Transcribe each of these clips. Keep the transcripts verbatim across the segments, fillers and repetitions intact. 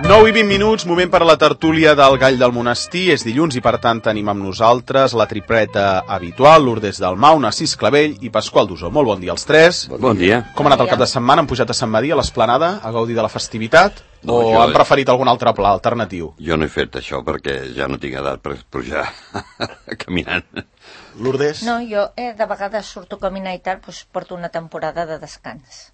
nou i vint minuts, moment per a la tertúlia del Gall del Monestir. És dilluns i, per tant, tenim amb nosaltres la tripleta habitual, Lourdes Dalmau, Narcís Clavell i Pasqual Dusó. Molt bon dia als tres. Bon dia. Com ha anat el cap de setmana? Han pujat a Sant Madí, a l'Esplanada, a gaudir de la festivitat? No, o jo... han preferit algun altre pla alternatiu? Jo no he fet això perquè ja no tinc edat per pujar caminant. Lourdes? No, jo eh, de vegades surto a caminar i tal, doncs porto una temporada de descans.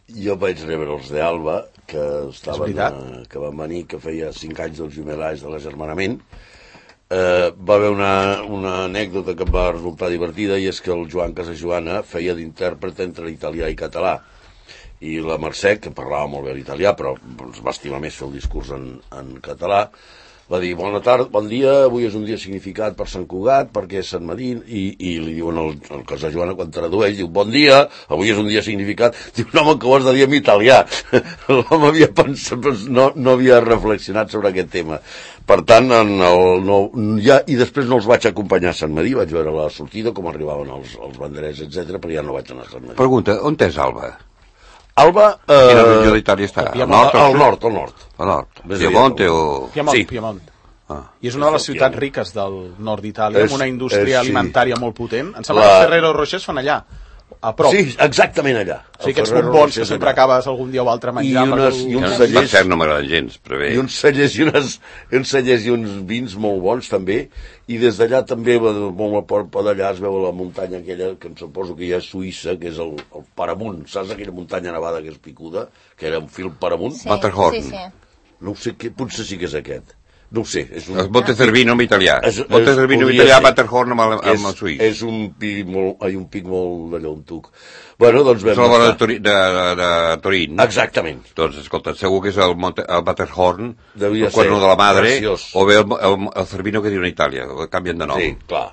Jo vaig rebre els d'Alba, que estaven, eh, que van venir, que feia cinc anys dels jumelats de l'agermanament. Eh, va haver una, una anècdota que em va resultar divertida, i és que el Joan Casajoana feia d'intèrpret entre italià i català. I la Mercè, que parlava molt bé l'italià, però ens va estimar més fer el discurs en, en català, va dir, bona tarda, bon dia, avui és un dia significat per Sant Cugat, perquè és Sant Madí, i, i li diuen al, al Casajoana, quan tradueix, diu, bon dia, avui és un dia significat, diu, no, home, que ho has de dir en italià. L'home havia pensat, no, no havia reflexionat sobre aquest tema. Per tant, en el, no, ja, i després no els vaig acompanyar a Sant Madí, vaig veure la sortida, com arribaven els, els banderers, etcètera, però ja no vaig anar a Sant Madí. Pregunta, on és Alba? Alba... Eh, Quina regió d'Itàlia està? Al nord, al nord, al nord. Al nord. Piemonte o... Piemont, sí. Piemont. Ah. I és una de les ciutats riques del nord d'Itàlia, amb una indústria és, sí. alimentària molt potent. Em sembla La... que Ferrero Rocher es fan allà, a prop. Sí, exactament allà. O sigui, aquests bombons que sempre acabes algun dia o altre menjant. I, unes, i uns cellers... Per cert, no m'agraden gens, però bé. I uns cellers i, unes, uns cellers i uns vins molt bons, també. I des d'allà també, molt a prop d'allà, es veu la muntanya aquella, que em suposo que hi ha a Suïssa, que és el, el Paramunt. Saps aquella muntanya nevada que és picuda? Que era un fil Paramunt? Sí, Matterhorn. sí, sí. No ho sé, que, potser sí que és aquest. No ho sé. És un... El Monte Cervino en italià. És, és, Monte Cervino en italià, Matterhorn amb el, amb el suís. És un pic molt, ai, un pic molt d'allò, un tuc. Bueno, doncs vam és la vora de, estar... Tori, de, de, de Torín. Exactament. Doncs, escolta, segur que és el, Monte, el Matterhorn, Devia el Cuerno de la Madre, preciós. o bé el, el, el Cervino que diu en Itàlia, canvien de nom. Sí, clar.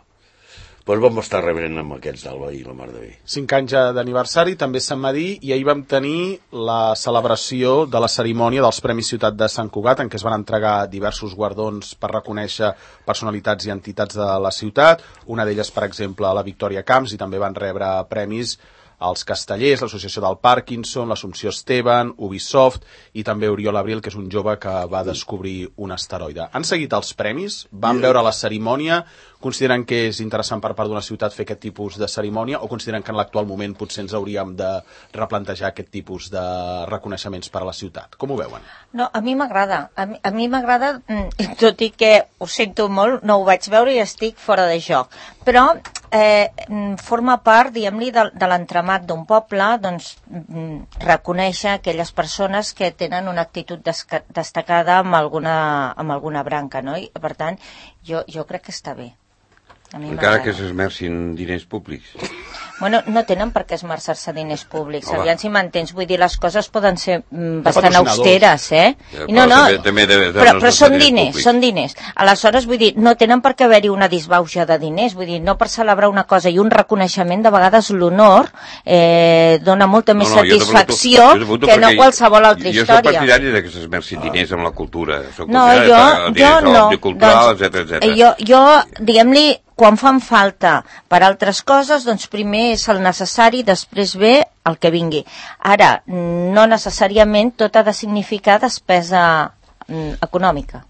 Doncs vam estar rebrent amb aquests d'Alba i la mar de bé. Cinc anys d'aniversari, també Sant Madí, i ahir vam tenir la celebració de la cerimònia dels Premis Ciutat de Sant Cugat, en què es van entregar diversos guardons per reconèixer personalitats i entitats de la ciutat. Una d'elles, per exemple, la Victòria Camps, i també van rebre premis els Castellers, l'Associació del Parkinson, l'Assumpció Esteban, Ubisoft i també Oriol Abril, que és un jove que va descobrir un asteroide. Han seguit els premis, van veure la cerimònia, consideren que és interessant per part d'una ciutat fer aquest tipus de cerimònia o consideren que en l'actual moment potser ens hauríem de replantejar aquest tipus de reconeixements per a la ciutat? Com ho veuen? No, a mi m'agrada. A mi, a mi m'agrada, tot i que ho sento molt, no ho vaig veure i estic fora de joc. Però eh, forma part, diguem-li, de, de l'entramat d'un poble, doncs, reconèixer aquelles persones que tenen una actitud destacada amb alguna, amb alguna branca, no? I, per tant, jo, jo crec que està bé. Encara que s'esmercin diners públics. Bueno, no tenen per què esmerçar-se diners públics. Home. Aviam si m'entens. Vull dir, les coses poden ser mm, bastant austeres, eh? Ja, no, no, també, també de, de però, però són diners, diners, són diners. Aleshores, vull dir, no tenen per què haver-hi una disbauxa de diners. Vull dir, no per celebrar una cosa i un reconeixement, de vegades l'honor eh, dona molta més no, no, satisfacció jo que no qualsevol altra jo història. Jo soc partidari de que s'esmercin diners amb la cultura. Soc no, jo, jo no. Cultural, doncs, etcètera, etcètera. Jo, jo diguem-li, quan fan falta per altres coses, doncs primer és el necessari, després ve el que vingui. Ara, no necessàriament tot ha de significar despesa mm, econòmica.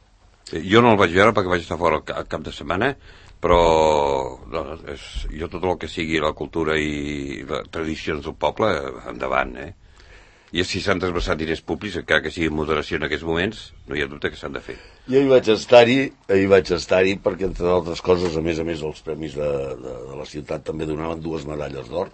Jo no el vaig veure perquè vaig estar fora el cap de setmana, però no, és, jo tot el que sigui la cultura i les tradicions del poble, endavant, eh? I si s'han desversat diners públics, encara que sigui en moderació en aquests moments, no hi ha dubte que s'han de fer. Jo hi vaig estar-hi, hi vaig estar-hi perquè, entre altres coses, a més a més, els premis de, de, de la ciutat també donaven dues medalles d'or,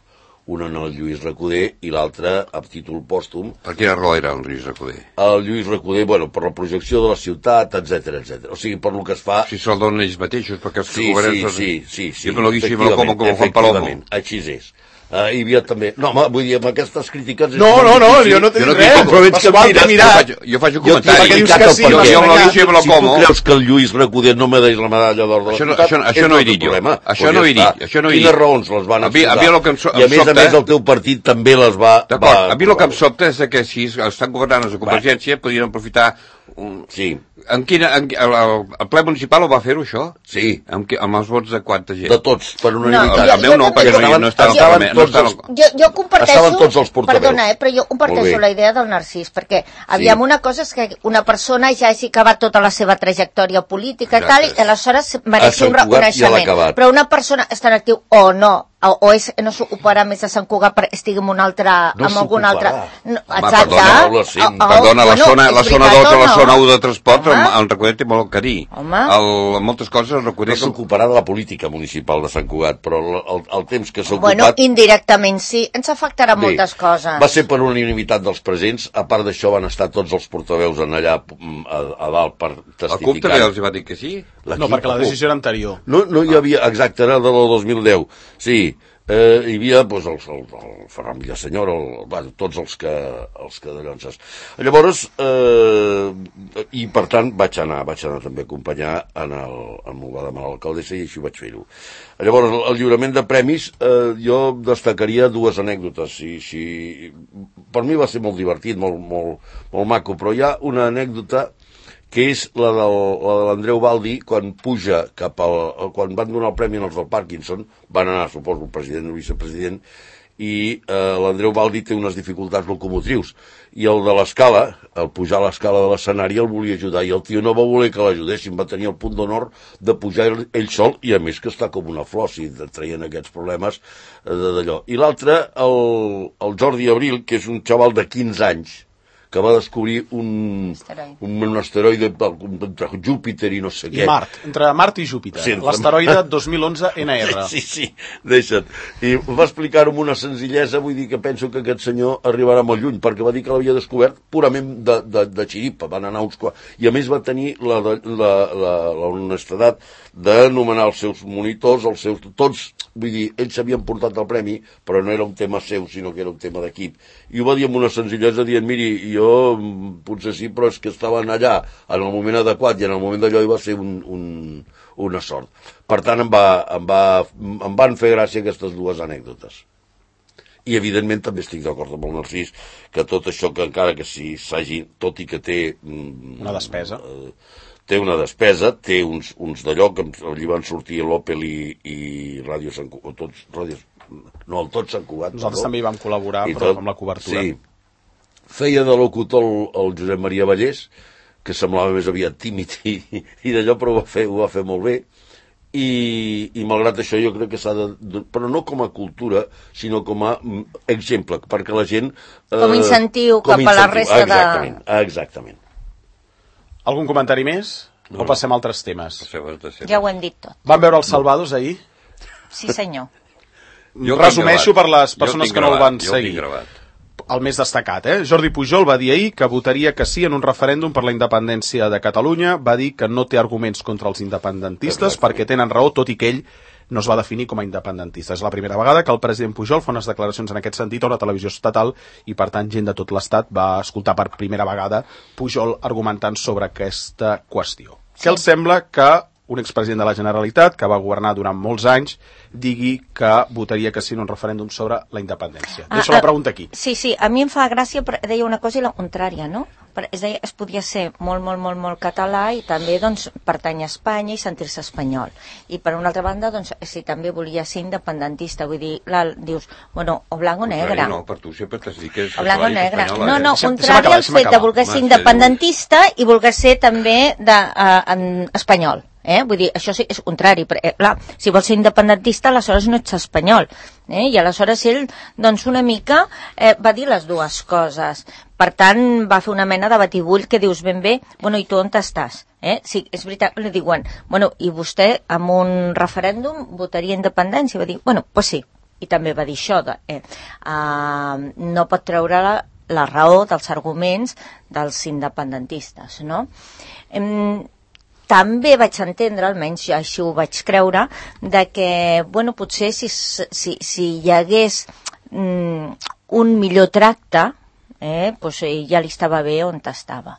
una al Lluís Recoder i l'altra a títol pòstum. Per quina raó era el Lluís Recoder? El Lluís Recoder, bueno, per la projecció de la ciutat, etcètera, etcètera. O sigui, per lo que es fa... Si se'l donen ells mateixos, perquè els sí, que governen... Sí, sí, sí, sí. Jo me lo guixo i me lo como com Juan Palomo. Així és. Uh, hi havia també... No, home, vull dir, amb aquestes crítiques... No, no, no, jo no t'he dit res. Però veig que mira, mirat, jo faig un comentari. Perquè dius que sí, jo me lo guixo i me lo como. Si tu creus que el Lluís Recoder no me deis la medalla d'or de la ciutat... Això, això no he dit jo. Això no he dit. Això no he dit. Quines raons les van exposar? I a més a més el teu partit també les va... D'acord, a mi el que em sobta és que si estan governant els de Convergència podrien aprofitar un... Sí. en quina, en, el, el ple municipal ho va fer-ho, això? Sí. Amb, amb els vots de quanta gent? De tots, per unanimitat. No, el meu no, perquè no, no estava... Estaven no tots els... Jo, jo comparteixo... Estaven tots els portaveus. Perdona, eh, però jo comparteixo la idea del Narcís, perquè, aviam, una cosa és que una persona ja hagi acabat tota la seva trajectòria política i tal, i aleshores mereixi un reconeixement. Però una persona està en actiu o no, o, o és, no s'ocuparà més a Sant Cugat perquè estigui en un altre, no en algun altre... No, exacte. Perdona, sí. oh, oh, perdona la, bueno, zona, la zona dos o la zona un de transport, el, el Recoder té molt que dir. El, moltes coses el Recoder... No s'ocuparà de la política municipal de Sant Cugat, però el, el, el temps que s'ha ocupat... Bueno, indirectament sí, ens afectarà Bé, moltes coses. Va ser per unanimitat dels presents, a part d'això van estar tots els portaveus en allà a, a dalt per testificar. El C U P també els va dir que sí? No, perquè la decisió era anterior. No, no hi havia, exacte, era de la dos mil deu. Sí, eh, hi havia doncs, el, el, el Ferran Villasenyor, el, bueno, tots els que, els que de Llonses. Llavors, eh, i per tant vaig anar, vaig anar també a acompanyar en el, en m'ho va demanar l'alcaldessa i així vaig fer-ho. Llavors, el, el lliurament de premis, eh, jo destacaria dues anècdotes. Si, si, per mi va ser molt divertit, molt, molt, molt maco, però hi ha una anècdota que és la, del, la de l'Andreu Baldi, quan puja cap al... quan van donar el premi als del Parkinson, van anar, suposo, el president o el vicepresident, i eh, l'Andreu Baldi té unes dificultats locomotrius, i el de l'escala, el pujar a l'escala de l'escenari, el volia ajudar, i el tio no va voler que l'ajudessin, va tenir el punt d'honor de pujar ell sol, i a més que està com una flor, si traient aquests problemes d'allò. I l'altre, el, el Jordi Abril, que és un xaval de quinze anys, que va descobrir un asteroide, un, un asteroide entre Júpiter i no sé què. I Mart, entre Mart i Júpiter. Sí, l'asteroide dos mil onze N R. Sí, sí, sí, deixa't. I va explicar-ho amb una senzillesa, vull dir que penso que aquest senyor arribarà molt lluny, perquè va dir que l'havia descobert purament de, de, de xiripa, van anar uns quants. I a més va tenir la, la, la, la, la honestedat d'anomenar els seus monitors, els seus... Tots, vull dir, ells s'havien portat el premi, però no era un tema seu, sinó que era un tema d'equip. I ho va dir amb una senzillesa dient, miri, jo potser sí, però és que estaven allà en el moment adequat i en el moment d'allò hi va ser un, un, una sort. Per tant, em, va, em, va, em van fer gràcia aquestes dues anècdotes. I, evidentment, també estic d'acord amb el Narcís que tot això, que encara que si s'hagi, tot i que té... Una despesa. Eh, té una despesa, té uns, uns d'allò que allí van sortir l'Opel i, i Ràdio Sant Cugat, tots, ràdios, no, el tot Sant Cugat. Nosaltres no? també hi vam col·laborar, I però tot, amb la cobertura. Sí. Feia de locutor el, el Josep Maria Vallès, que semblava més aviat tímid i, i d'allò, però ho va fer, ho va fer molt bé. I, i malgrat això jo crec que s'ha de, però no com a cultura, sinó com a exemple, perquè la gent... Eh, com incentiu com cap incentiu. A la resta exactament, de... Exactament. Algun comentari més? No. O passem a altres temes? Ja ho hem dit tot. Van veure els Salvados ahir? Sí, senyor. Jo resumeixo per les persones que no el van seguir. El més destacat, eh? Jordi Pujol va dir ahir que votaria que sí en un referèndum per la independència de Catalunya, va dir que no té arguments contra els independentistes perquè tenen raó, tot i que ell no es va definir com a independentista. És la primera vegada que el president Pujol fa unes declaracions en aquest sentit a una televisió estatal i, per tant, gent de tot l'Estat va escoltar per primera vegada Pujol argumentant sobre aquesta qüestió. Sí. Què els sembla que un expresident de la Generalitat, que va governar durant molts anys, digui que votaria que sí en un referèndum sobre la independència? Ah, Deixo la pregunta aquí. Sí, sí, a mi em fa gràcia, deia una cosa i la contrària, no? És a dir, es podia ser molt, molt, molt, molt català i també, doncs, pertany a Espanya i sentir-se espanyol. I, per una altra banda, doncs, si també volia ser independentista, vull dir, la, dius, bueno, o blanc o negre. No, per tu sempre t'has dit que és o blanc o negre. Espanyola, no, no, eh? contrari al fet de voler ser independentista i voler ser també de, uh, en espanyol. Eh? Vull dir, això sí, és contrari, però, eh, clar, si vols ser independentista, aleshores no ets espanyol, eh? I aleshores ell, doncs, una mica eh, va dir les dues coses. Per tant, va fer una mena de batibull que dius ben bé, bueno, i tu on estàs? Eh? Sí, és veritat, li diuen, bueno, i vostè amb un referèndum votaria independència? Va dir, bueno, pues sí, i també va dir això, de, eh, uh, no pot treure la, la raó dels arguments dels independentistes, no? Eh, També vaig entendre, almenys ja així ho vaig creure, de que, bueno, potser si, si, si hi hagués mm, un millor tracte, eh, pues ja li estava bé on estava.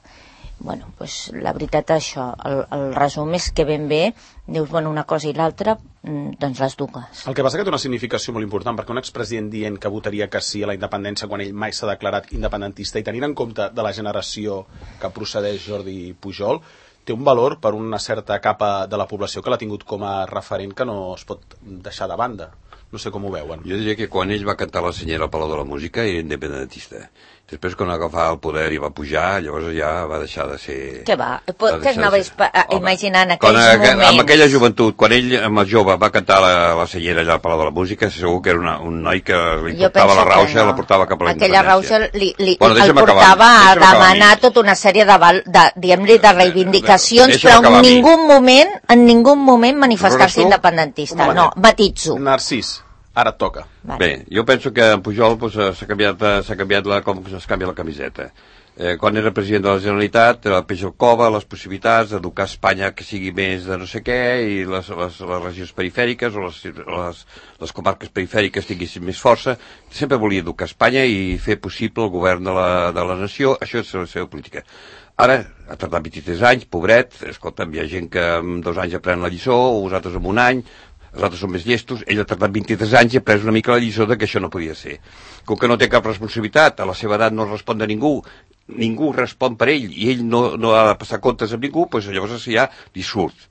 Bueno, pues la veritat és això, el, el resum és que ben bé, dius, bueno, una cosa i l'altra, doncs les dues. El que passa que té una significació molt important, perquè un expresident dient que votaria que sí a la independència quan ell mai s'ha declarat independentista i tenint en compte de la generació que procedeix Jordi Pujol, té un valor per una certa capa de la població que l'ha tingut com a referent que no es pot deixar de banda. No sé com ho veuen. Jo diria que quan ell va cantar la senyera al Palau de la Música era independentista. Després, quan agafava el poder i va pujar, llavors ja va deixar de ser... Què va? Què anaves imaginant aquells quan, moments? Amb aquella joventut, quan ell, amb el jove, va cantar la, la senyera allà al Palau de la Música, segur que era una, un noi que li jo portava la rauxa, no. la portava cap a la aquella independència. Rauxa li, li, bueno, el portava a demanar tota una sèrie de, de, de, de reivindicacions, però en ningú moment, en ningú moment manifestar-se independentista. No, matitzo. Narcís. Ara et toca. Vale. Bé, jo penso que en Pujol pues, s'ha canviat, s'ha canviat la, com es canvia la camiseta. Eh, quan era president de la Generalitat, el peix al cova, les possibilitats d'educar Espanya que sigui més de no sé què, i les, les, les regions perifèriques o les, les, les comarques perifèriques tinguessin més força. Sempre volia educar Espanya i fer possible el govern de la, de la nació. Això és la seva política. Ara, ha tardat vint-i-tres anys, pobret, escolta'm, hi ha gent que en dos anys aprèn la lliçó, o vosaltres en un any, els altres són més llestos, ell ha tardat vint-i-tres anys i ha pres una mica la lliçó de que això no podia ser. Com que no té cap responsabilitat, a la seva edat no respon de ningú, ningú respon per ell i ell no, no ha de passar comptes amb ningú, doncs llavors ja li surt.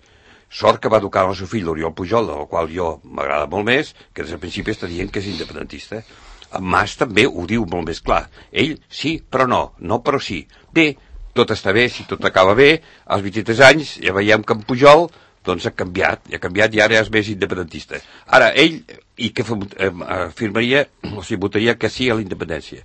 Sort que va educar el seu fill, l'Oriol Pujol, del qual jo m'agrada molt més, que des del principi està dient que és independentista. En Mas també ho diu molt més clar. Ell sí, però no, no però sí. Bé, tot està bé, si tot acaba bé, als vint-i-tres anys ja veiem que en Pujol doncs ha canviat, ha canviat i ara és més independentista. Ara, ell, i que afirmaria, o sigui, votaria que sí a la independència.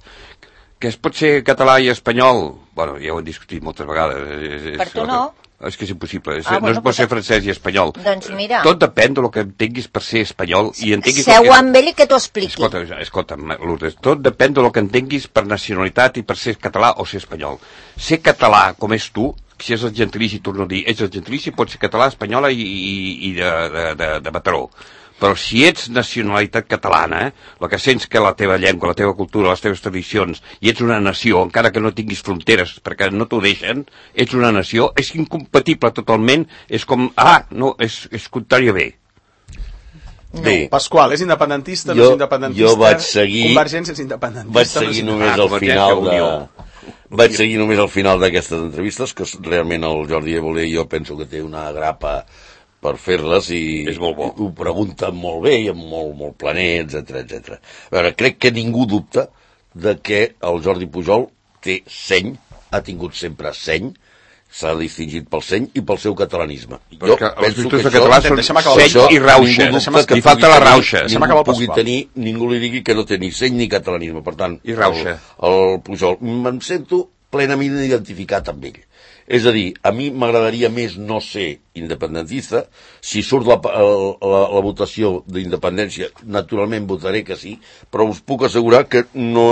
Que es pot ser català i espanyol, bueno, ja ho hem discutit moltes vegades. Per tu no? És que és impossible, ah, no bueno, es pot ser francès i espanyol. Doncs mira. Tot depèn del que entenguis per ser espanyol i entenguis... Seu que... amb ell i que t'ho expliqui. Escolta, escolta, Lourdes, tot depèn del que entenguis per nacionalitat i per ser català o ser espanyol. Ser català com és tu, si és el gentilici, torno a dir, ets el gentilici, pot ser català, espanyola i, i, i de, de, de, de Mataró. Però si ets nacionalitat catalana, eh, el que sents que la teva llengua, la teva cultura, les teves tradicions, i ets una nació, encara que no tinguis fronteres, perquè no t'ho deixen, ets una nació, és incompatible totalment, és com, ah, no, és, és contrari a bé. No. Bé, Pasqual, és independentista, jo, no és independentista? Jo vaig seguir... Convergència és independentista. Vaig seguir no només al final de... Vaig seguir només al final d'aquestes entrevistes, que realment el Jordi Évole jo penso que té una grapa per fer-les i, és molt bo. I ho pregunta molt bé i amb molt, molt planer, etcètera, etcètera. A veure, crec que ningú dubta de que el Jordi Pujol té seny, ha tingut sempre seny, s'ha distingit pel seny i pel seu catalanisme. Però jo penso que això... Català són seny i rauxa, li falta la rauxa. Ningú pugui tenir, ningú li digui que no té ni seny ni catalanisme, per tant, i rauxa. El, el Pujol, me'n sento plenament identificat amb ell. És a dir, a mi m'agradaria més no ser independentista. Si surt la, la, la votació d'independència, naturalment votaré que sí, però us puc assegurar que no,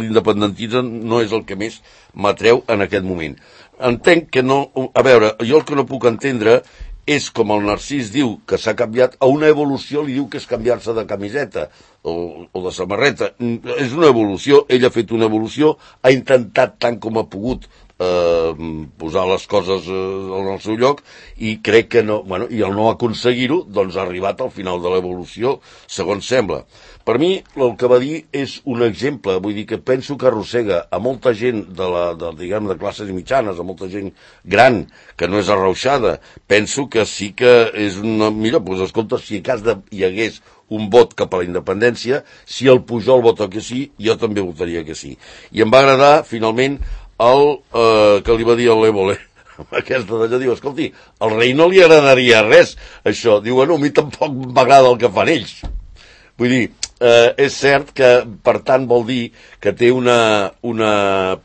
l'independentisme no és el que més m'atreu en aquest moment. Entenc que no... A veure, jo el que no puc entendre és com el Narcís diu que s'ha canviat, a una evolució li diu que és canviar-se de camiseta o, o de samarreta. És una evolució, ell ha fet una evolució, ha intentat tant com ha pogut eh, posar les coses eh, en el seu lloc i crec que no, bueno, i al no aconseguir-ho, doncs ha arribat al final de l'evolució, segons sembla. Per mi, el que va dir és un exemple, vull dir que penso que arrossega a molta gent de, la, de, diguem, de classes mitjanes, a molta gent gran, que no és arrauxada. Penso que sí que és una... Mira, doncs escolta, si a cas de, hi hagués un vot cap a la independència, si el Pujol vota que sí, jo també votaria que sí. I em va agradar, finalment, el eh, que li va dir a l'Évole, aquesta d'allò, diu, escolti, al rei no li agradaria res, això. Diu, bueno, a mi tampoc m'agrada el que fan ells. Vull dir, eh, és cert que, per tant, vol dir que té una, una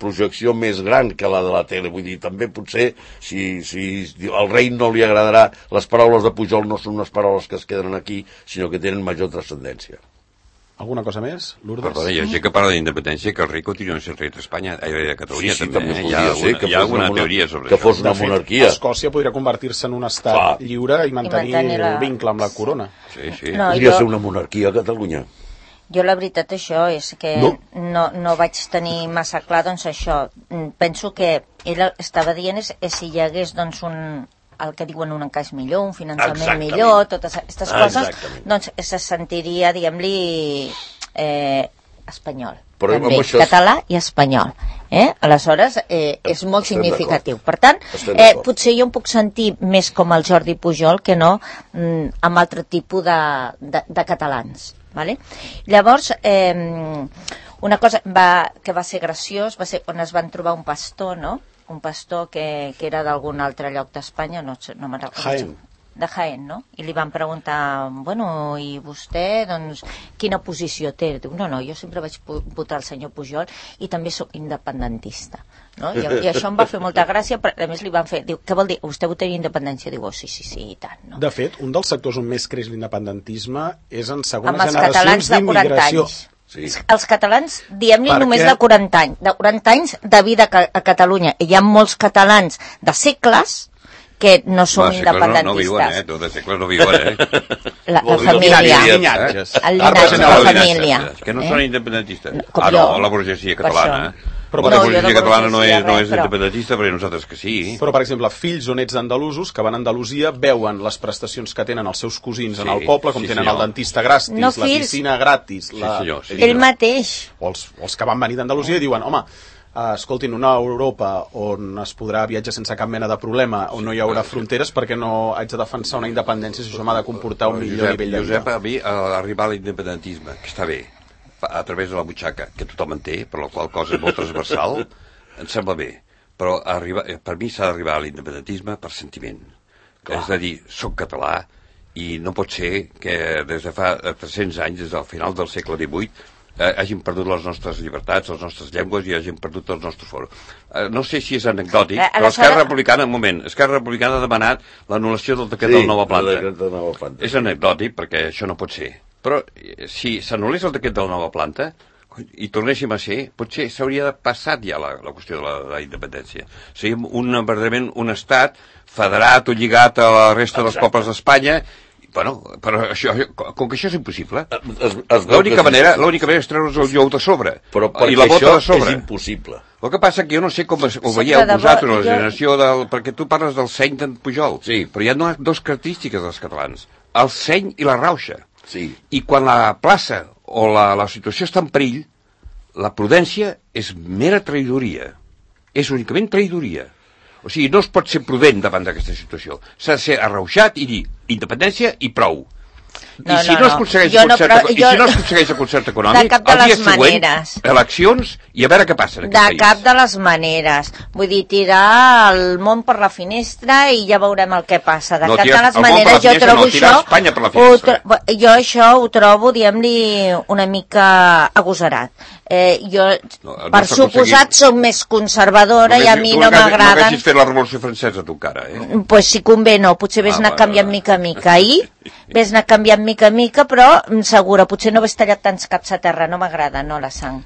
projecció més gran que la de la tele. Vull dir, també potser, si, si al rei no li agradarà, les paraules de Pujol no són unes paraules que es queden aquí, sinó que tenen major transcendència. Alguna cosa més, Lourdes? Perdona, hi ha gent que parla d'independència, que el rei continua sent rei d'Espanya, de Catalunya, sí, sí, també. també hi ha alguna, ser, hi ha alguna teoria sobre que això. Fos una monarquia. Escòcia podria convertir-se en un estat Clar. lliure i mantenir, I mantenir la... el vincle amb la corona. Sí, sí. No, podria jo... ser una monarquia a Catalunya. Jo la veritat això és que no. No, no vaig tenir massa clar doncs això. Penso que ell estava dient és, és si hi hagués doncs un... el que diuen un encaix millor, un finançament Exactament. millor, totes aquestes coses, Exactament. doncs se sentiria, diguem-li, eh, espanyol. Però també, això... català i espanyol. Eh? Aleshores, eh, és molt Estem significatiu. Per tant, eh, potser jo em puc sentir més com el Jordi Pujol que no mm, amb altre tipus de, de, de catalans. Vale? Llavors, eh, una cosa va, que va ser graciós va ser quan es van trobar un pastor, no? Un pastor que, que era d'algun altre lloc d'Espanya, no, no me'n recordo. Jaén. De Jaén, no? I li van preguntar, bueno, i vostè, doncs, quina posició té? Diu, no, no, jo sempre vaig votar el senyor Pujol i també sóc independentista. No? I, I això em va fer molta gràcia, però a més li van fer, diu, què vol dir? Vostè votaria independència? Diu, oh, sí, sí, sí, i tant. No? De fet, un dels sectors on més creix l'independentisme és en segones amb els generacions catalans de quaranta anys. Sí. Els catalans, diem-li Perquè... només de quaranta anys, de quaranta anys de vida a Catalunya. Hi ha molts catalans de segles que no són independentistes. No, no viuen, eh? De segles no viuen, eh? La, la família. El llinatges. El llinatge, la família. Que no són independentistes. Com ah, no, jo. la burgesia catalana. Però, la no, burgesia catalana no és, no és però... independentista, però nosaltres que sí. Però, per exemple, fills o nets d'andalusos que van a Andalusia veuen les prestacions que tenen els seus cosins sí, en el poble, com sí, tenen senyor. el dentista gratis, no, la piscina gratis... Sí, la... senyor, sí, ell mateix. O els, els que van venir d'Andalusia i diuen, home, Uh, escoltin, una Europa on es podrà viatjar sense cap mena de problema, on no hi haurà fronteres, perquè no haig de defensar una independència si això m'ha de comportar un millor Josep, nivell de vida. Josep, a mi, a arribar a l'independentisme, que està bé, a través de la butxaca, que tothom en té, per la qual cosa és molt transversal, em sembla bé. Però arriba, per mi s'ha d'arribar a l'independentisme per sentiment. Clar. És a dir, soc català i no pot ser que des de fa tres-cents anys, des del final del segle divuit, eh, hàgim perdut les nostres llibertats, les nostres llengües i hàgim perdut els nostres foros. Eh, no sé si és anecdòtic, eh, però Esquerra Republicana, un moment, Esquerra Republicana ha demanat l'anul·lació del decret sí, del nova planta. De nova planta. És anecdòtic perquè això no pot ser. Però eh, si s'anul·lés el decret de la nova planta i tornéssim a ser, potser s'hauria passat ja la, la qüestió de la, de la independència. Seríem un, verdaderament un estat federat o lligat a la resta dels pobles d'Espanya. Bueno, però això, com que això és impossible, l'única manera, l'única manera és treure's el jou de sobre però i la bota de sobre. És impossible. El que passa que jo no sé com ho veieu vosaltres, la generació del... Perquè tu parles del seny d'en Pujol, sí. Però hi ha dues característiques dels catalans, el seny i la rauxa. Sí. I quan la plaça o la, la situació està en perill, la prudència és mera traïdoria. És únicament traïdoria. O sigui, no es pot ser prudent davant d'aquesta situació. S'ha de ser arrauxat i dir independència i prou. No, I si no, no, es aconsegueix no. el concert, no, i si no es aconsegueix el concert econòmic, el dia següent, eleccions i a veure què passa en aquest de país. De cap de les maneres. Vull dir, tirar el món per la finestra i ja veurem el que passa. De no, cap tirar, de les maneres jo trobo no, això... Espanya per la finestra. Ho, jo això ho trobo, diguem-li, una mica agosarat. Eh, jo, no, per suposat, soc més conservadora no, i a mi no m'agrada... No hagis fet la Revolució Francesa, tu, encara, eh? Pues si convé, no. Potser ves ah, anar canviant mica a mica. Ahir ves anar canviant mica a mica, però segura, potser no ves tallat tants caps a terra. No m'agrada, no, la sang.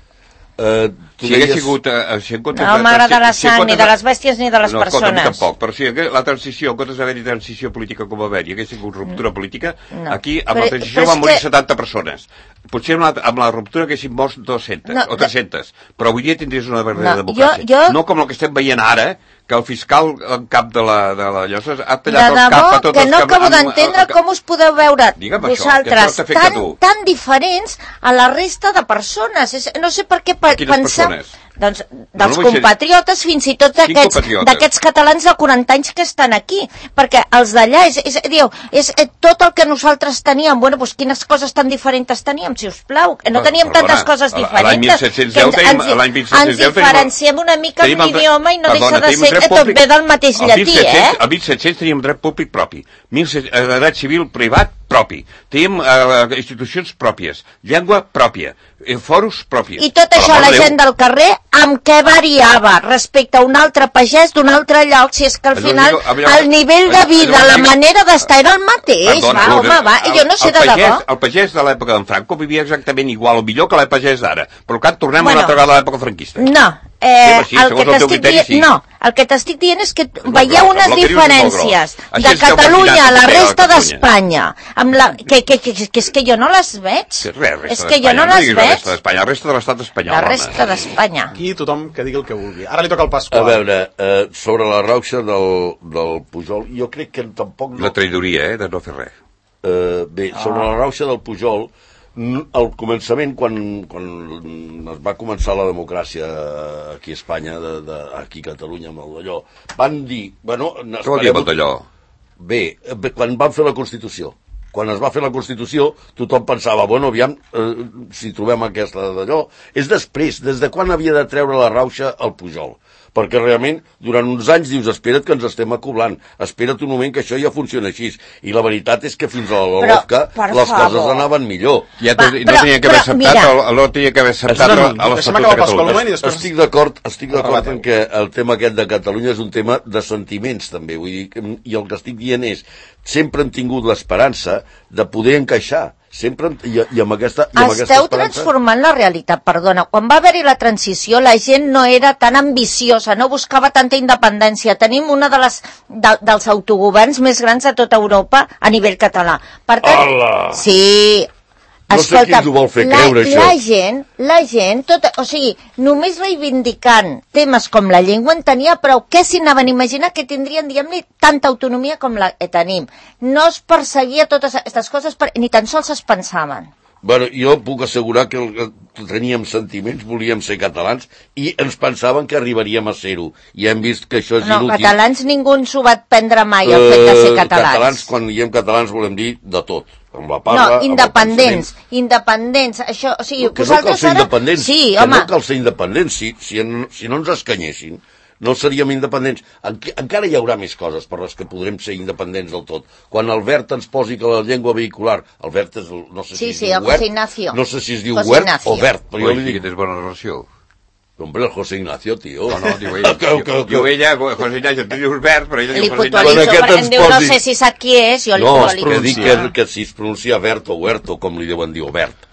Uh, si hagués sigut... Uh, si no m'agrada la sang, ni de les bèsties ni de les no, persones. No, tampoc, però si la transició, en comptes d'haver-hi transició política com va haver-hi, hagués sigut ruptura política, no. Aquí amb però, la transició van morir que... setanta persones. Potser amb la, amb la ruptura haguessin mort dues-centes no, o tres-centes, però avui dia tindries una verdadera no, democràcia. Jo, jo... No com el que estem veient ara, que el fiscal en cap de la, de la llosa ha tallat el cap a tots que els no acabo d'entendre com us podeu veure vosaltres això, tan, tan diferents a la resta de persones. És, no sé per què pe pensar... Persones? Doncs dels no, no compatriotes, fins i tot d'aquests catalans de quaranta anys que estan aquí, perquè els d'allà és, és, diu, és, és tot el que nosaltres teníem. Bueno, doncs quines coses tan diferents teníem, si us plau, que no teníem perdona, tantes coses diferents. L'any mil set-cents deu tenim, l'any mil set-cents deu ens diferenciem una mica en l'idioma i no perdona, deixa de ser que tot ve del mateix llatí, eh? El mil set-cents teníem dret públic propi, dret civil privat propi, teníem uh, institucions pròpies, llengua pròpia, eh, foros pròpies. I tot això la gent del carrer amb què variava respecte a un altre pagès d'un altre lloc, si és que al final el nivell de vida, la manera d'estar era el mateix, va, home, va, jo no sé de debò. El pagès de l'època d'en Franco vivia exactament igual o millor que el pagès d'ara, per tant tornem una altra vegada a l'època franquista. No, Eh, sí, el que t'estic dient, sí. no, el que t'estic dient és que no, veieu unes diferències de Catalunya a la resta d'Espanya, que, que, que, que és que jo no les veig. Sí, res, és que jo no, no les veig. La resta d'Espanya, la resta de l'estat espanyol. La resta d'Espanya. Aquí tothom que digui el que vulgui. Ara li toca el Pasqual. A veure, eh, sobre la rauxa del, del Pujol, jo crec que tampoc... No... La traïdoria, eh, de no fer res. Eh, bé, sobre ah. la rauxa del Pujol, al començament, quan, quan es va començar la democràcia aquí a Espanya, de, de, aquí a Catalunya, amb el d'allò, van dir... Bueno, què vol dir amb el d'allò? Bé, quan van fer la Constitució. Quan es va fer la Constitució, tothom pensava, bueno, aviam, eh, si trobem aquesta d'allò... És després, des de quan havia de treure la rauxa al Pujol. Perquè realment, durant uns anys dius, espera't que ens estem acoblant, espera't un moment que això ja funciona així. I la veritat és que fins a la Lofca les favor. coses anaven millor. Ja Va, no tenia que haver acceptat, o no tenia que haver acceptat a l'Estatut de Catalunya. Estic d'acord, estic d'acord en que el tema aquest de Catalunya és un tema de sentiments, també. Vull dir, i el que estic dient és, sempre hem tingut l'esperança de poder encaixar. Sempre, i, i amb aquesta, i amb Esteu aquesta esperança... transformant la realitat, perdona. Quan va haver-hi la transició, la gent no era tan ambiciosa, no buscava tanta independència. Tenim una de les, de, dels autogoverns més grans de tota Europa a nivell català. Per tant, Hola. sí... No sé qui ens ho vol fer creure, la, això. La gent, la gent, tot, o sigui, només reivindicant temes com la llengua en tenia prou. Què s'hi anaven a imaginar que tindrien, diguem-li, tanta autonomia com la que tenim? No es perseguia totes aquestes coses, per, ni tan sols es pensaven. Bueno, jo puc assegurar que teníem sentiments, volíem ser catalans i ens pensaven que arribaríem a ser-ho. I hem vist que això és no, inútil. No, catalans ningú ens ho va prendre mai, el fet de ser catalans. Uh, catalans, quan diem catalans volem dir de tot. Amb la parla, no, independents, independents, això, o sigui, no, que no cal ser ara... independents, sí, que home. no cal ser independents, si, si, en, si no ens escanyessin, no seríem independents. En, encara hi haurà més coses per les que podrem ser independents del tot. Quan el Vert ens posi que la llengua vehicular, el Vert és, no sé sí, si sí, es diu Wert, Ignacio. no sé si es diu José Wert Ignacio. o Vert, però jo li dic... Que tens bona relació. Hombre, el José Ignacio, tio. No, no, diu ella. que, que, que... Diu ella, José Ignacio, tu dius Vert, però ella Li diu José Ignacio. puntualitzo, Bueno, perquè em diu, no posi... sé si sap qui és, jo li no, puntualitzo. que dic que, que si es pronuncia Vert o Huert, o com li deuen dir, o Vert.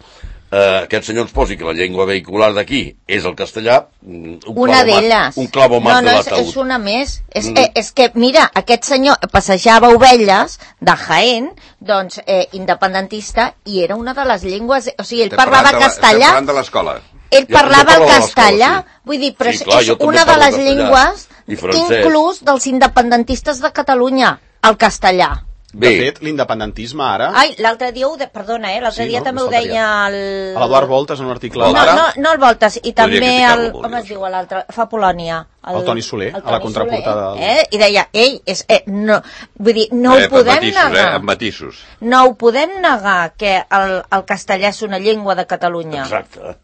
Uh, aquest senyor ens posi que la llengua vehicular d'aquí és el castellà, un una d'elles. Un clavo más no, no, de l'ataúd. És, és una més. És, Mm. eh, és que, mira, aquest senyor passejava ovelles de Jaén, doncs, eh, independentista, i era una de les llengües... O sigui, ell parlava castellà... Estem parlant de l'escola. Ell Jo- parlava jo el parlo de castellà, l'escola, sí. vull dir, però Sí, clar, és jo també una de parlo les castellà. llengües, I francès. inclús dels independentistes de Catalunya, el castellà. De Bé. fet, l'independentisme ara... Ai, l'altre dia ho de... Perdona, eh? L'altre Sí, dia no? també No ho deia el... L'Eduard Voltes, en un article No, d'Ara, no, no el Voltes, i també criticar-lo, el... vol Com dir es diu l'altre? Fa Polònia. El Toni Soler, el a la Toni contraportada Soler, del- Eh? I deia, ei, és, eh, no, vull dir, no eh, ho podem amb matisos, negar. Eh, amb matisos. No ho podem negar que el, el castellà és una llengua de Catalunya. Exacte.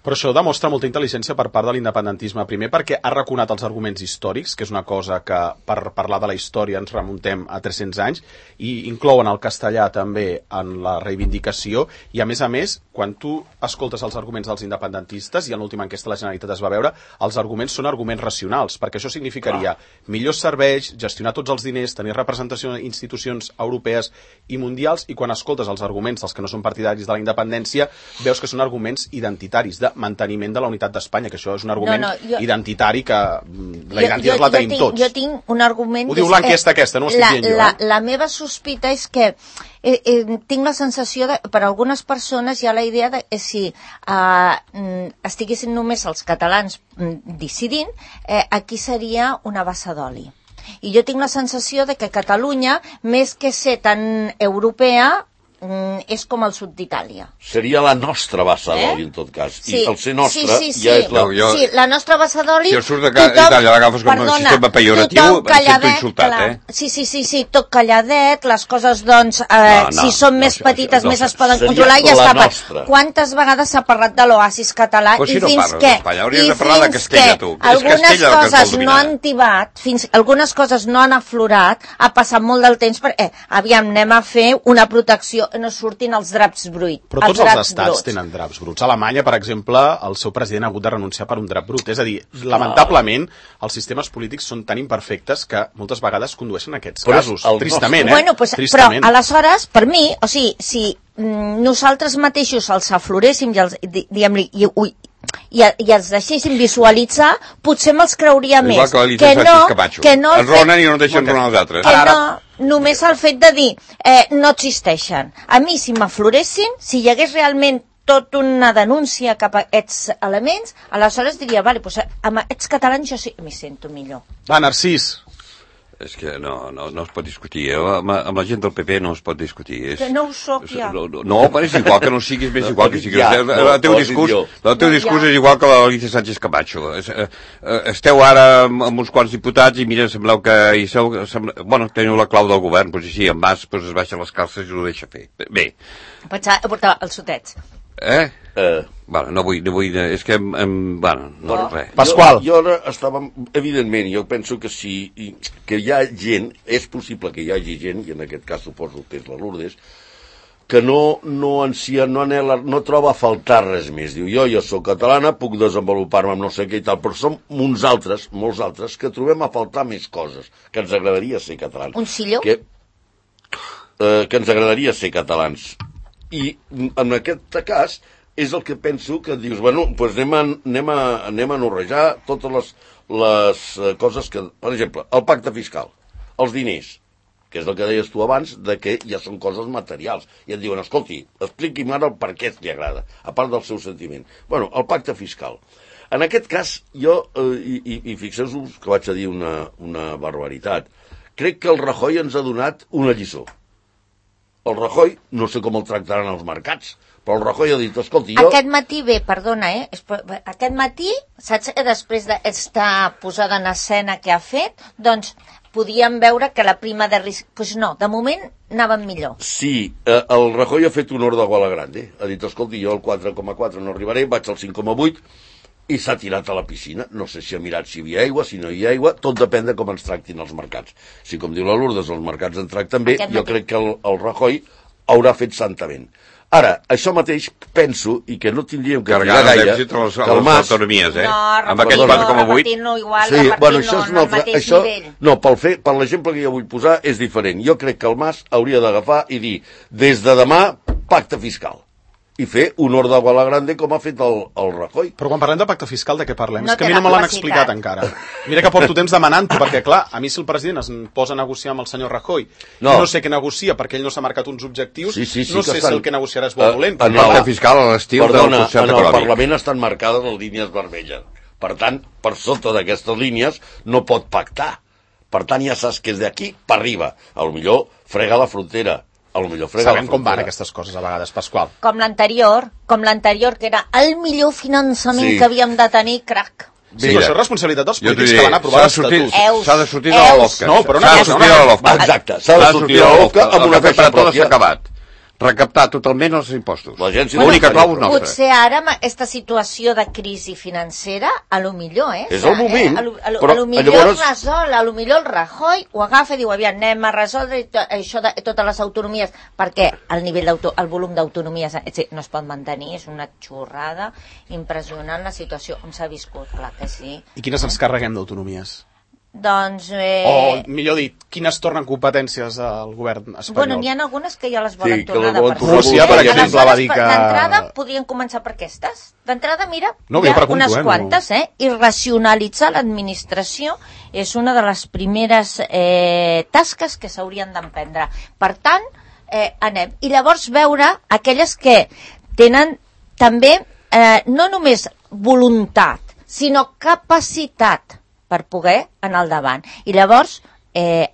Però això demostra molta intel·ligència per part de l'independentisme. Primer perquè ha reconat els arguments històrics, que és una cosa que per parlar de la història ens remuntem a tres-cents anys, i inclouen el castellà també en la reivindicació, i a més a més, quan tu escoltes els arguments dels independentistes, i en l'última enquesta de la Generalitat es va veure, els arguments són arguments racionals, perquè això significaria millors serveis, gestionar tots els diners, tenir representació en institucions europees i mundials, i quan escoltes els arguments dels que no són partidaris de la independència, veus que són arguments identitaris, de manteniment de la unitat d'Espanya, que això és un argument No, no, jo- identitari que mm, la identitat la tenim tinc, tots. Jo tinc un argument... Ho diu és, l'enquesta aquesta, no ho estic la, dient jo, La, eh? la meva sospita és que eh, eh, tinc la sensació de, per a algunes persones hi ha la idea de que si eh, estiguessin només els catalans mm, decidint, eh, aquí seria una bassa d'oli. I jo tinc la sensació de que Catalunya, més que ser tan europea, mm, és com el sud d'Itàlia. Seria la nostra bassa Eh? d'oli, en tot cas. Sí, I el ser nostre sí, sí, sí. ja és la... No, jo- Sí, la nostra bassa d'oli... Si el surt de ca- Itàlia l'agafes com un sistema pejoratiu, tothom em sento calladet, insultat, clar. eh? Sí, sí, sí, sí, tot calladet, les coses, doncs, eh, No, no, si són no, més això- petites, no, més es poden seria controlar i ja la està. nostra. Quantes vegades s'ha parlat de l'oasis català Pues si i no fins parles que... d'Espanya, hauries i de parlar de fins Castella, que tu. És algunes Castella el que ens vol coses no dominar. han tibat, fins algunes coses no han aflorat, ha passat molt del temps perquè, eh, aviam, anem a fer una protecció, no surtin els draps bruits. Però tots els draps estats bruts. tenen draps bruts. A Alemanya, per exemple, el seu president ha hagut de renunciar per un drap brut. És a dir, lamentablement, els sistemes polítics són tan imperfectes que moltes vegades condueixen a aquests Però és casos. el Tristament, eh? Bueno, pues, però Tristament. aleshores, per mi, o sigui, si mm, nosaltres mateixos els afloréssim i els, di, diguem-li, i, ui, i, i els deixéssim visualitzar, potser me'ls creuria Igual més. que l'Alicia Sánchez Camacho. que no el Els ronen fet- i no deixen ronar els altres. que Ara- no, només el fet de dir eh, no existeixen. A mi, si m'afloressin, si hi hagués realment tot una denúncia cap a aquests elements, aleshores diria, vale, doncs amb aquests catalans jo sí m'hi sento millor. Va, Narcís, És que no, no, no es pot discutir. Amb, amb la gent del P P no es pot discutir. És, que no ho soc ja. No, no, però és igual que no siguis, més igual que siguis. Ja, el, no, el teu discurs, el teu discurs ja. és igual que l'Alicia Sánchez Camacho. Es, eh, esteu ara amb, amb uns quants diputats i mira, sembleu que... I sou, sembleu, bueno, teniu la clau del govern, doncs així, en Mas pues, es baixa les calces i ho deixa fer. Bé. Pensava portar els sotets. Eh? Eh... Bueno, no vull, no vull, és que, em, em, bueno, no, no res. Pasqual. Jo, jo ara estava, evidentment, jo penso que si, que hi ha gent, és possible que hi hagi gent, i en aquest cas suposo que és la Lourdes, que no, no ansia, no anela, no troba a faltar res més. Diu, jo, jo sóc catalana, puc desenvolupar-me amb no sé què i tal, però som uns altres, molts altres, que trobem a faltar més coses, que ens agradaria ser catalans. Un silló? Que, eh, que ens agradaria ser catalans. I en aquest cas és el que penso que dius, bueno, doncs anem a, anem a, anem a norrejar totes les, les coses que... Per exemple, el pacte fiscal, els diners, que és el que deies tu abans, de que ja són coses materials. I et diuen, escolti, expliqui'm ara el per què li agrada, a part del seu sentiment. Bueno, el pacte fiscal. En aquest cas, jo, eh, i, i, i fixeu-vos que vaig a dir una, una barbaritat, crec que el Rajoy ens ha donat una lliçó. El Rajoy, no sé com el tractaran els mercats, però el Rajoy ha dit, escolti, jo... Aquest matí bé, perdona, eh? Aquest matí, saps, després d'estar posada en escena que ha fet, doncs podíem veure que la prima de risc... Doncs pues no, de moment anàvem millor. Sí, eh, el Rajoy ha fet honor de Guala Grande. Ha dit, escolti, jo al quatre coma quatre no arribaré, vaig al cinc coma vuit, i s'ha tirat a la piscina. No sé si ha mirat si hi havia aigua, si no hi ha aigua, tot depèn de com ens tractin els mercats. Si, com diu la Lourdes, els mercats ens tracten bé, jo crec que el, el Rajoy haurà fet santament. Ara, això mateix penso, i que no tindríem que carregar gaire, les, que les, el Mas... autonomies, eh? No, amb aquest quatre coma vuit. No, igual, sí, bueno, això és no, un altre, això, no, pel fer, per l'exemple que jo vull posar és diferent. Jo crec que el Mas hauria d'agafar i dir, des de demà, pacte fiscal. I fer honor de Guala Grande com ha fet el, el Rajoy. Però quan parlem de pacte fiscal, de què parlem? No és que a mi no me l'han explicat encara. Mira que porto temps demanant-ho, perquè clar, a mi si el president es posa a negociar amb el senyor Rajoy, no, no sé què negocia, perquè ell no s'ha marcat uns objectius, sí, sí, sí, no sé estan... si el que negociarà és bo o dolent. El pacte fiscal a l'estil del concert econòmic. En el Parlament estan marcades les línies vermelles. Per tant, per sota d'aquestes línies no pot pactar. Per tant, ja saps que és d'aquí per arriba. A lo millor frega la frontera. Sabem com van aquestes coses a vegades, Pasqual. Com l'anterior, com l'anterior, que era el millor finançament sí. que havíem de tenir, crac. Sí, però això és responsabilitat dels polítics que van aprovar l'Estatut. S'ha de sortir de la LOFCA. No, però s'ha de sortir de la LOFCA. Exacte, s'ha de sortir de la LOFCA amb una caixa pròpia. S'ha acabat. Recaptar totalment els impostos. L'agència l'única clau és nostra. Potser ara, amb aquesta situació de crisi financera, a lo millor, eh? És el moment. Eh? A, lo, a, lo, a lo millor llavors... resol, a lo millor el Rajoy ho agafa i diu, aviam, anem a resoldre això de totes les autonomies, perquè el nivell el volum d'autonomies no es pot mantenir, és una xorrada impressionant la situació on s'ha viscut, clar que sí. I quines ens carreguem d'autonomies? Doncs... Eh... O, millor dit, quines tornen competències al govern espanyol? Bueno, n'hi ha algunes que ja les volen sí, tornar de per Rússia, per exemple, va dir que... D'entrada, podrien començar per aquestes. D'entrada, mira, no, hi ha pregunto, unes eh, quantes, no. eh? I racionalitzar l'administració és una de les primeres eh, tasques que s'haurien d'emprendre. Per tant, eh, anem. I llavors veure aquelles que tenen també eh, no només voluntat, sinó capacitat per poder anar al davant. I llavors eh,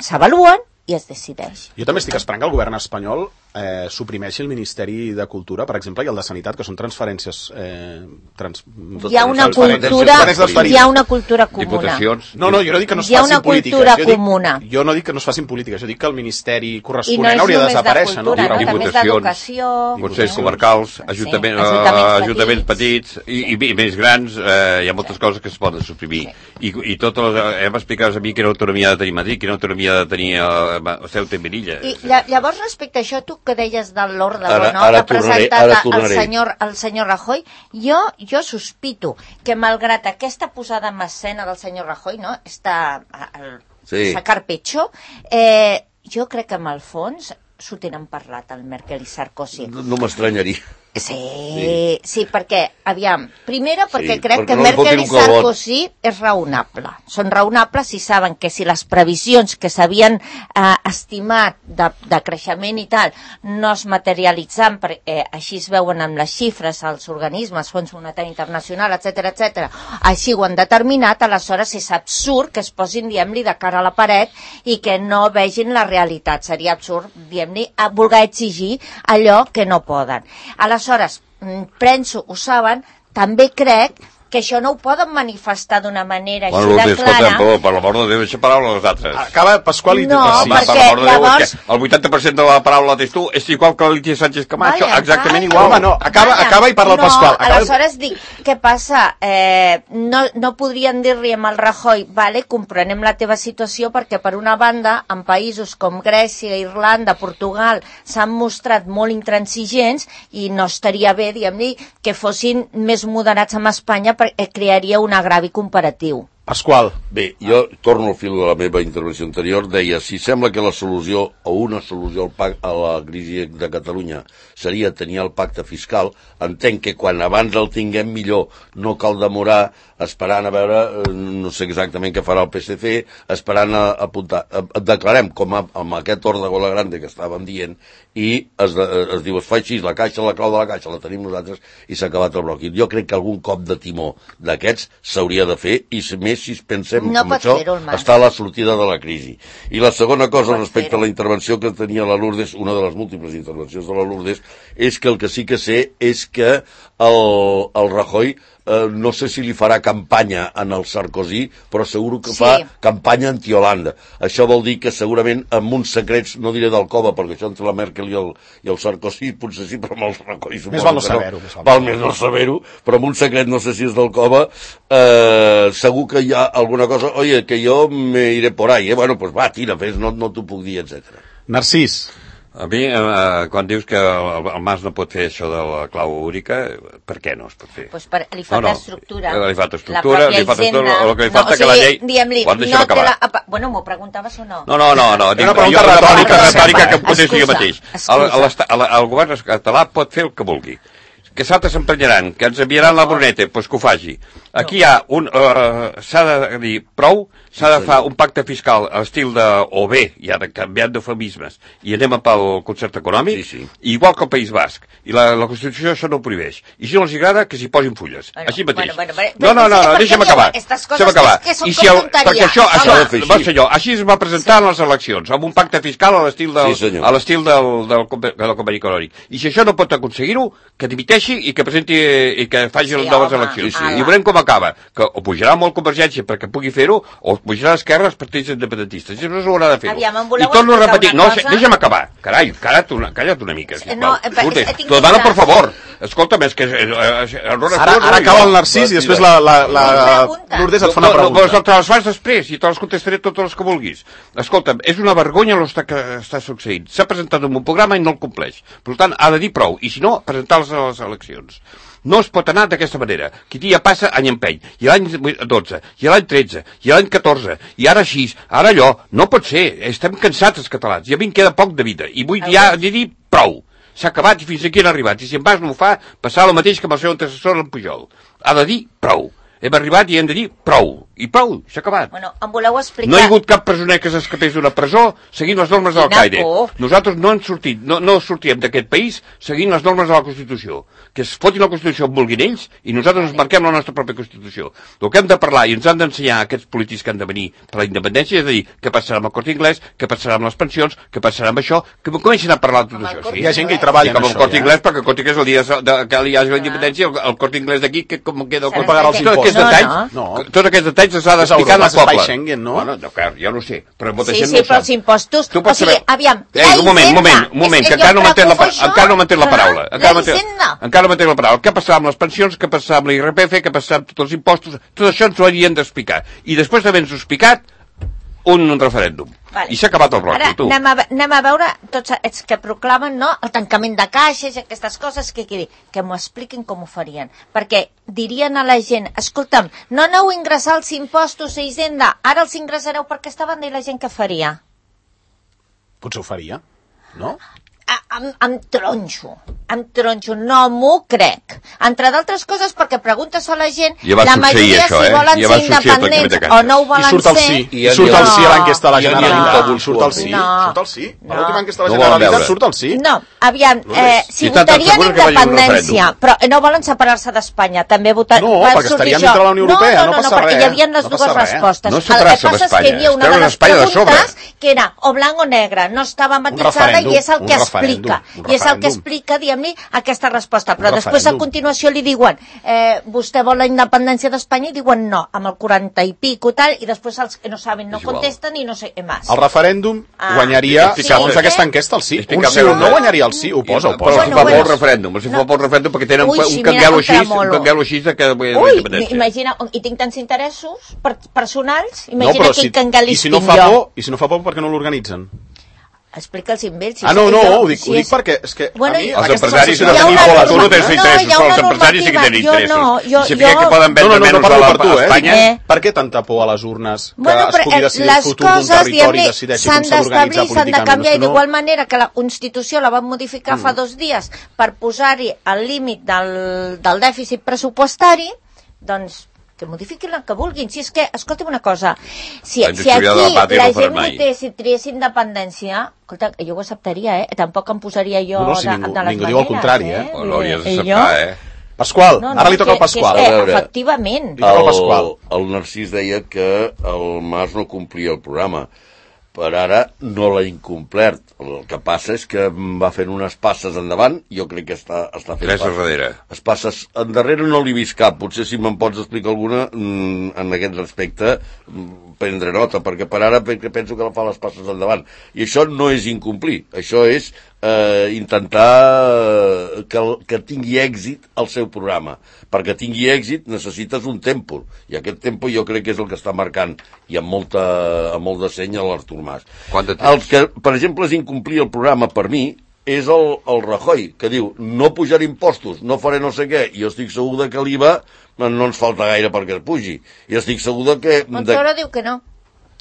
s'avaluen i es decideix. Jo també estic esperant que el govern espanyol eh, suprimeixi el Ministeri de Cultura, per exemple, i el de Sanitat, que són transferències... Eh, trans... Hi ha una cultura, hi ha una cultura comuna. Diputacions. No, no, jo no dic que no es hi ha facin una polítiques. Cultura jo, dic, comuna. jo no dic que no es facin polítiques, jo dic que el Ministeri corresponent no hauria de desaparèixer. De cultura, no? no? També és d'educació. Consells comarcals, ajuntament, sí, ajuntaments, ajuntaments petits, petits i, i més grans, eh, hi ha moltes coses que es poden suprimir. Sí. I, i totes les, hem explicat a mi quina autonomia ha de tenir Madrid, quina autonomia ha de tenir eh, Ceuta i Melilla. I llavors, respecte a això, tu que deies de l'ordre ara, no, ara que ha presentat tornaré, el, senyor, el senyor Rajoy, jo, jo sospito que malgrat aquesta posada en escena del senyor Rajoy, no, està el sí. sacar pecho, eh, jo crec que amb el fons s'ho tenen parlat el Merkel i Sarkozy. No, no m'estranyaria. Sí, sí, sí, perquè, aviam, primera perquè Sí, crec perquè que no li Merkel fotin i un calbot. Sarkozy és raonable. Són raonables si saben que si les previsions que s'havien eh, estimat de, de creixement i tal no es materialitzen, perquè eh, així es veuen amb les xifres, els organismes, Fons Monetari Internacional, etcètera, etcètera, així ho han determinat, aleshores és absurd que es posin, diguem-li, de cara a la paret i que no vegin la realitat. Seria absurd, diguem-li, voler exigir allò que no poden. Aleshores, penso, ho saben, també crec que això no ho poden manifestar d'una manera bueno, així de clara. Escolta, per, per l'amor de Déu, deixa paraula als altres. Acaba Pasqual i... No, sí. perquè per l'amor de Déu, llavors... és que el vuitanta per cent de la paraula la tens tu, és igual que l'Alicia Sánchez Camacho, Vaya, exactament vaya. igual. Home, no, acaba, Vaya, acaba i parla el no, Pasqual. Acaba... Aleshores dic, què passa? Eh, no, no podrien dir-li amb el Rajoy, vale, comprenem la teva situació perquè per una banda, en països com Grècia, Irlanda, Portugal, s'han mostrat molt intransigents i no estaria bé, diguem-li, que fossin més moderats amb Espanya perquè crearia un agravi comparatiu. Pasqual. Bé, jo torno al fil de la meva intervenció anterior, deia, si sembla que la solució o una solució al pac, a la crisi de Catalunya seria tenir el pacte fiscal, entenc que quan abans el tinguem millor no cal demorar esperant a veure, no sé exactament què farà el P S C, esperant a, a apuntar. Declarem, com a, amb aquest ordre Gola Grande que estàvem dient, i es, es diu, es fa així, la caixa, la clau de la caixa, la tenim nosaltres, i s'ha acabat el bloc. Jo crec que algun cop de timó d'aquests s'hauria de fer, i més si pensem no com això, està a la sortida de la crisi. I la segona cosa, no respecte a la intervenció que tenia la Lourdes, una de les múltiples intervencions de la Lourdes, és que el que sí que sé és que el, el Rajoy Eh, no sé si li farà campanya en el Sarkozy, però segur que sí. fa campanya anti-Holanda. Això vol dir que segurament amb uns secrets, no diré del cova, perquè això entre la Merkel i el, i el Sarkozy potser sí, però amb el Rajoy més val no saber-ho. No. Val més no saber-ho, però amb un secret, no sé si és del cova, eh, segur que hi ha alguna cosa, oye, que jo me iré por ahí, eh? Bueno, pues va, tira, fes, no, no t'ho puc dir, etcètera. Narcís. A mi, eh, quan dius que el, el Mas no pot fer això de la clau úrica, per què no es pot fer? Pues per, li falta no, no. estructura. Li falta estructura, li falta estructura, el que li falta no, o sigui, que la llei... Diguem-li, no té la... Bueno, m'ho preguntaves o no? No, no, no, no. Dic, una pregunta jo, retòrica, retòrica que em contesti jo mateix. El, el, el govern català pot fer el que vulgui. Que s'altres s'emprenyaran, que ens enviaran la Bruneta, doncs pues que ho faci. Aquí hi ha un... Uh, s'ha de dir prou, s'ha de fer un pacte fiscal a l'estil de... o bé, ja de canviant d'eufemismes, i anem pel concert econòmic, sí, sí. igual que el País Basc. I la, la Constitució això no ho prohibeix. I si no els agrada, que s'hi posin fulles. Bueno, així mateix. Bueno, bueno, bueno, no, no, no, no deixa'm acabar. Deixa'm acabar. Que, que I si el, perquè això, això, va ser jo, així es va presentar en les eleccions, amb un pacte fiscal a l'estil del, sí, a l'estil del, del, del, del conveni econòmic. I si això no pot aconseguir-ho, que dimiteixi i que presenti i que faci sí, les noves home, eleccions. Sí, sí. I veurem com acaba. Que o pujarà molt Convergència perquè pugui fer-ho, o pujarà a l'esquerra els partits independentistes. I no s'haurà de fer-ho. I torno a repetir. No, deixa'm acabar. Carai, calla't una, calla't una mica. No, T'ho demano, per favor. Escolta'm, és que... Eh, ara, ara acaba el Narcís i després la, la, la, la Lourdes et fa una pregunta. No, no, te les fas després i te les contestaré totes les que vulguis. Escolta'm, és una vergonya el que està succeint. S'ha presentat un programa i no el compleix. Per tant, ha de dir prou. I si no, presentar-les a les eleccions. No es pot anar d'aquesta manera. Qui dia passa, any empeny. I l'any dotze, i l'any tretze, i l'any catorze, i ara així, ara allò. No pot ser. Estem cansats els catalans. I a mi em queda poc de vida. I vull dir, dir prou. S'ha acabat i fins aquí han arribat. I si en Mas no ho fa, passarà el mateix que amb el seu antecessor, en Pujol. Ha de dir prou. Hem arribat i hem de dir prou. I prou, s'ha acabat. Bueno, em voleu explicar... No hi ha hagut cap presoner que s'escapés d'una presó seguint les normes de l'Al-Qaeda. Nosaltres no hem sortit, no, no sortirem d'aquest país seguint les normes de la Constitució. Que es fotin la Constitució on vulguin ells i nosaltres ens marquem la nostra pròpia Constitució. El que hem de parlar i ens han d'ensenyar aquests polítics que han de venir per la independència és a dir què passarà amb el Corte Inglés, què passarà amb les pensions, què passarà amb això, que comencin a parlar de tot això. Sí? Hi ha gent que hi treballa en això. Com el Corte Inglés, perquè el Corte Inglés el dia de, que hi hagi la independència, el, el Corte Inglés d'aquí, que com queda el Corte pagarà els impostos. No, no. Tots aquests detalls els ha d'explicar al poble. Schengen, no? Bueno, no, clar, jo no sé, però molta sí, gent sí, no ho però sap. els impostos... Tu pots o sigui, saber... aviam, eh, un moment, un moment, un moment, que, que encara no m'entén la, encara no m'entén la paraula. Encara no m'entén la paraula. Què passarà amb les pensions, què passarà amb l'I R P F, què passarà amb tots els impostos, tot això ens ho haurien d'explicar. I després d'haver-nos explicat, un, un referèndum. Vale. I s'ha acabat el bloc. Ara tu. Anem, a, anem a veure tots els que proclamen, no?, el tancament de caixes i aquestes coses, que, que, que m'ho expliquin com ho farien. Perquè dirien a la gent, escolta'm, no aneu a ingressar els impostos a Hisenda, ara els ingressareu per aquesta banda, i la gent què faria? Potser ho faria, no? A, amb, amb tronxo. em tronxo, no m'ho crec. Entre d'altres coses, perquè preguntes a la gent, ja la majoria això, si eh? volen ja ser independents o no ho volen ser... I surt el sí, ser... i surt el sí a l'enquesta de la Generalitat. No. Surt el sí, no. surt el sí. A no. l'última enquesta de la No Generalitat surt el sí. No, aviam, eh, si, si votarien independència, però no volen separar-se d'Espanya, també votar... No, perquè estarien dintre de la Unió Europea, no, no, no, passa no, perquè res. hi havia les no dues respostes. No el que separar-se passa és que hi havia una de les preguntes que era o blanc o negre, no estava matisada i és el que explica. I és el que explica, diguem-li, aquesta resposta. Però després, a continuació, li diuen eh, vostè vol la independència d'Espanya? I diuen no, amb el quaranta i pico tal, i després els que no saben no contesten i no sé què més. El referèndum ah. guanyaria, sí, segons sí. aquesta enquesta, el sí. Sí, Un sí o no guanyaria el sí, ho posa, ho posa. Però si fa pel referèndum, si fa pel referèndum, perquè tenen Ui, sí, un canguelo així, mira, un canguelo així de que... Ui, imagina, i tinc tants interessos personals, imagina no, quin si, canguelis i si no tinc fa jo. por, I si no fa por, per què no l'organitzen? Explica'ls amb ells. Si ah, no, no, jo, ho dic, si ho dic és... perquè és que bueno, a mi... Els empresaris no tenen una... tu no tens interessos, no, però els empresaris sí que tenen interessos. Jo no, jo, I si jo... que poden no, vendre no, no, menys no parlo per tu, a Espanya... Eh? Per què tanta por a les urnes que bueno, es pugui decidir el futur d'un territori i decideixi com s'ha d'organitzar políticament? S'han de canviar, i d'igual manera que la Constitució la van modificar mm. fa dos dies per posar-hi el límit del, del dèficit pressupostari, doncs que modifiquin el que vulguin. Si és que, escolta'm una cosa, si, si aquí la, la gent votés i triés independència, escolta, jo ho acceptaria, eh? Tampoc em posaria jo no, no, si de, ningú, de les ningú maneres. Diu el contrari, eh? eh? No hauries d'acceptar, eh? Pasqual, no, no, ara li toca que, al Pasqual. Que és que, efectivament. El, el, el Narcís deia que el Mas no complia el programa. Per ara no l'ha incomplert. El que passa és que va fent unes passes endavant, jo crec que està, està fent passes. Darrere. Les passes endarrere no l'he vist cap. Potser si me'n pots explicar alguna en aquest respecte, prendre nota, perquè per ara penso que fa les passes endavant. I això no és incomplir, això és eh, intentar que, que tingui èxit el seu programa. Perquè tingui èxit necessites un tempo, i aquest tempo jo crec que és el que està marcant, i amb, molta, amb molt de seny a l'Artur Mas. El que, per exemple, és incomplir el programa per mi, és el, el Rajoy, que diu no pujaré impostos, no faré no sé què, i jo estic segur de que l'I V A no ens falta gaire perquè es pugi. I estic segur de que... Montoro de... diu que no.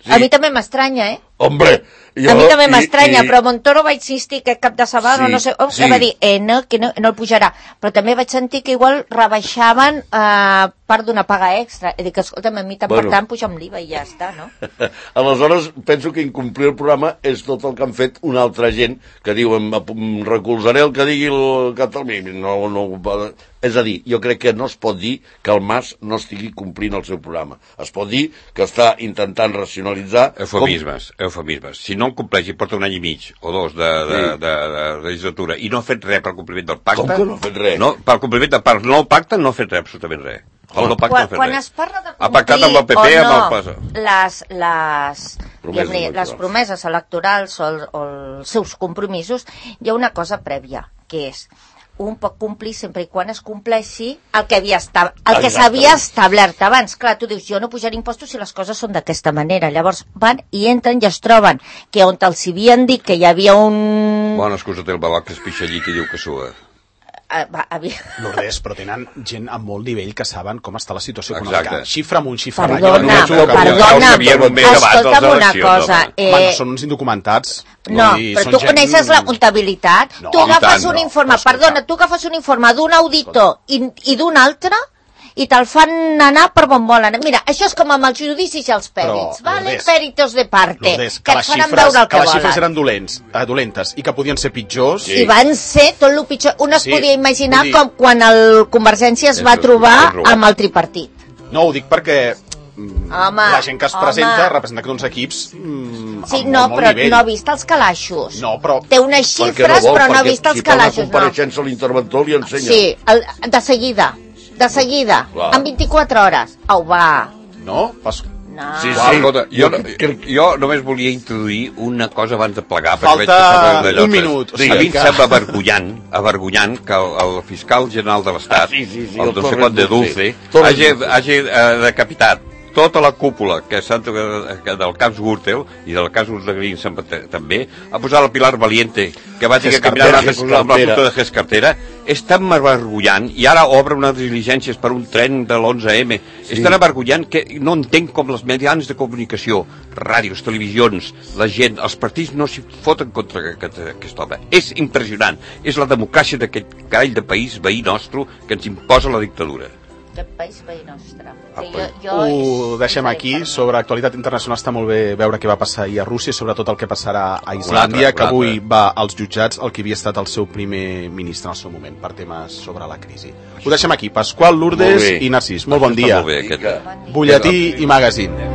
Sí. A mi també m'estranya, eh? Hombre, jo, a mi també m'estranya, i... però Montoro va insistir que cap de setmana, sí, no sé, oh, sí. va dir eh, no, que no, no el pujarà. Però també vaig sentir que igual rebaixaven eh, part d'una paga extra. I dic, escolta'm, a mi tant bueno. per tant puja'm l'I V A i ja està, no? Aleshores, penso que incomplir el programa és tot el que han fet una altra gent que diu, em, em recolzaré el que digui el Catalunya. No, no, és a dir, jo crec que no es pot dir que el Mas no estigui complint el seu programa. Es pot dir que està intentant racionalitzar... Eufemismes, com... eufemismes. Si no el compleix i porta un any i mig o dos de, de, sí. de, de, de legislatura i no ha fet res per compliment del pacte... Com que no ha fet res? No, per compliment del pacte, no el pacte no ha fet res, absolutament res. El no pacte quan, no ha fet quan res. Es parla de ha pactat amb el P P, o no, amb el... les, les, promeses les promeses electorals o, el, o els seus compromisos, hi ha una cosa prèvia, que és un pot complir sempre i quan es compleixi el que havia esta... el que s'havia establert abans. Clar, tu dius, jo no pujaré impostos si les coses són d'aquesta manera. Llavors van i entren i es troben que on els havien dit que hi havia un... Bona excusa té el babac que es pixa allí i diu que sua. Uh, va, havia... No res, però tenen gent amb molt nivell que saben com està la situació Exacte. econòmica. Xifra amunt, xifra avall. Perdona, no perdona, escolta'm una cosa. Eh... Home, no són uns indocumentats. No, dir, però tu gent... coneixes la comptabilitat. No, tu agafes tant, un no. informe, perdona, tu agafes un informe d'un auditor i, i d'un altre i te'l fan anar per on volen. Mira, això és com amb els judicis i els pèrits, però, vale? Lourdes, Peritos de parte, Lourdes, que, que et faran veure el que, que les xifres volen. eren dolents, eh, dolentes i que podien ser pitjors. Sí. I van ser tot el pitjor. Un es sí, podia imaginar dir... com quan el Convergència es va trobar amb el tripartit. No, ho dic perquè home, la gent que es home. presenta representa uns equips mm, sí, amb no, molt, molt però nivell. no ha vist els calaixos. No, però... Té unes xifres, no vol, però no ha vist els si calaixos. Si fa una compareixença no. L'interventor li ensenya. Sí, el, de seguida. De seguida, clar. En vint-i-quatre hores. Au, va. No? Pas... No. Sí, sí. Escolta, jo, jo només volia introduir una cosa abans de plegar. Falta un minut. O sigui, a mi em sembla avergonyant, avergonyant que el, el fiscal general de l'Estat, ah, sí, sí, sí, el, el no sé quant de Dulce, sí. hagi, hagi uh, decapitat tota la cúpula que, que del cas Gürtel i del cas Urdagrins també, ha posat el Pilar Valiente, que va tenir que caminar amb la puta de Ges Cartera, és tan avergonyant, i ara obre unes diligències per un tren de l'onze eme, sí. És tan avergonyant que no entenc com els mitjans de comunicació, ràdios, televisions, la gent, els partits no s'hi foten contra aquest, aquest home. És impressionant, és la democràcia d'aquest carall de país veí nostre que ens imposa la dictadura. Aquest país veí nostre. Sí, jo, jo ho deixem aquí. Sobre actualitat internacional està molt bé veure què va passar ahir a Rússia, sobretot el que passarà a Islàndia, que avui va als jutjats el que havia estat el seu primer ministre en el seu moment per temes sobre la crisi. Ho deixem aquí. Pasqual, Lourdes i Narcís. Molt bon dia. Butlletí i magazine.